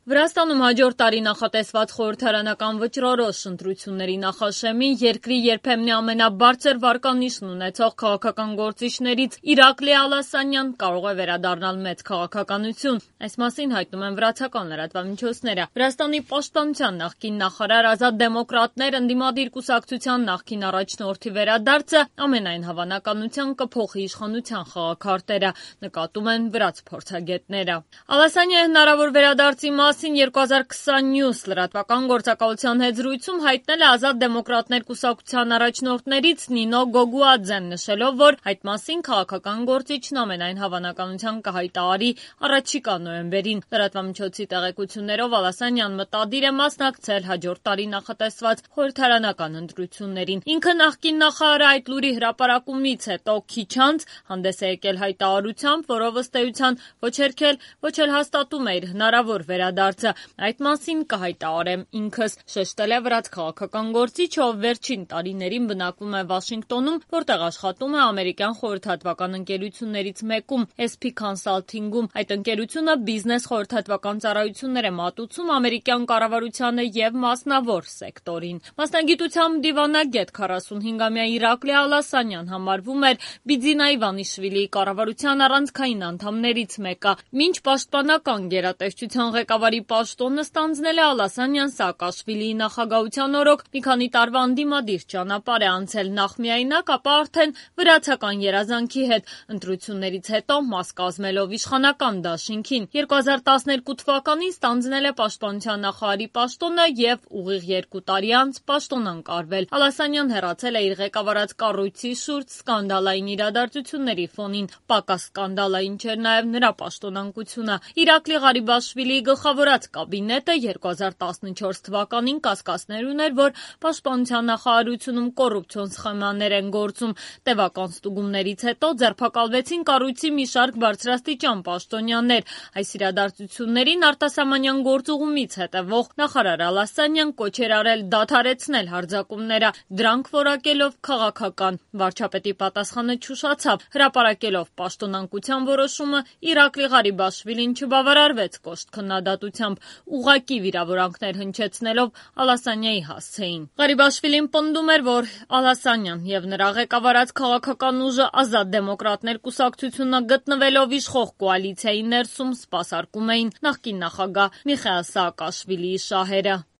Վրաստանում հաջորդ տարի նախատեսված խորհրդարանական վճռորոշ ընտրությունների նախաշեմին երկրի երբեմնի ամենաբարձր վարկանիշն ունեցող քաղաքական գործիչներից Իրակլի Ալասանյան կարող է վերադառնալ մեծ քաղաքականություն։ Այս մասին հայտնում են վրացական լրատվամիջոցները։ Վրաստանի պաշտպանության նախկին նախարար Ազատ դեմոկրատներ ընդդիմադիր կուսակցության նախկին առաջնորդի վերադարձը ամենայն հավանականությամբ կփոխի իշխանության խաղաքարտերը, նկատում են վրաց փորձագետները։ Ալասանյանի հնարավոր վերադարձի մասին 2020 News լրատվական գործակալության հետ զրույցում հայտնել է Ազատ դեմոկրատներ կուսակցության առաջնորդներից Նինո Գոգուաձեն, նշելով, որ այդ մասին քաղաքական գործիչն ամենայն հավանականությամբ կհայտարարի առաջիկա նոյեմբերին։ Լրատվամիջոցի տեղեկություններով Ալասանյան մտադիր է մասնակցել հաջորդ տարի նախատեսված խորհրդարանական ընտրություններին։ Ինքը նախկին նախարարը այդ լուրի հրապարակումից հետո քիչ անց հանդես է եկել հայտարարությամբ, որով ըստ էության ոչ հերքել, ոչ էլ հաստատում է իր հնարավոր վերադարձը։ Այդ մասին կհայտարարեմ ինքս, շեշտել է վրաց քաղաքական գործիչը, ով վերջին տարիներին բնակվում է Վաշինգտոնում, որտեղ աշխատում է ամերիկյան խորհրդատվական ընկերություններից մեկում, SP Consulting-ում։ Այդ ընկերությունը բիզնես խորհրդատվական ծառայություններ է մատուցում ամերիկյան կառավարությանը եւ մասնավոր սեկտորին։ Մասնագիտությամբ դիվանագետ 45-ամյա Իրակլի Ալասանյան համարվում էր Բիձինա Իվանիշվիլիի կառավարության առանցքային անդամներից մեկը։ Մինչ պաշտպանական գերատեսչության ղեկավարի պաշտոնը ստանձնել է Ալասանյան Սաակաշվիլիի նախագահության օրոք մի քանի տարվա ընդդիմադիր ճանապարհ է անցել նախ միայնակ, ապա արդեն վրացական երազանքի հետ, ընտրություններից հետո մաս կազմելով իշխանական դաշինքին։ 2012 թվականին ստանձնել է պաշտպանության նախարարի պաշտոնը եւ ուղիղ 2 տարի անց պաշտոնանկարվել։ Ալասանյան հեռացել է իր ղեկավարած կառույցի շուրջ սկանդալային իրադարձությունների ֆոնին։ Պակաս սկանդալային չէր նաեւ նրա պաշտոնանկությունը։ Իրակլի Ղարիբաշվիլիի գլխավորած կաբինետը 2014 թվականին կասկածներ ուներ, որ պաշտպանության նախարարությունում կոռուպցիոն սխեմաներ են գործում։ Տևական ստուգումներից հետո ձերբակալվեցին կառույցի մի շարք բարձրաստիճան պաշտոնյաներ։ Այս իրադարձություններին արտասահմանյան գործուղումից հետևող նախարար Ալասանյան կոչ էր արել դադարեցնել հարձակումները, դրանք որակելով քաղաքական։ Վարչապետի պատասխանը չուշացավ։ Հրապարակելով պաշտոնանկության որոշումը Իրակլի Ղարիբաշվիլին չբավարարվեց կոշտ քննադատությամբ, ուղղակի վիրավորանքներ հնչեցնելով Ալասանյայի հասցեին։ Ղարիբաշվիլին պնդում էր, որ Ալասանյան եւ նրա ղեկավարած քաղաքական ուժը Ազատ դեմոկրատներ կուսակցությունը գտնվելով իշխող կոալիցիայի ներսում սպասարկում էին նախկին նախագահ Միխայիլ Սաակաշվիլիի շահերը։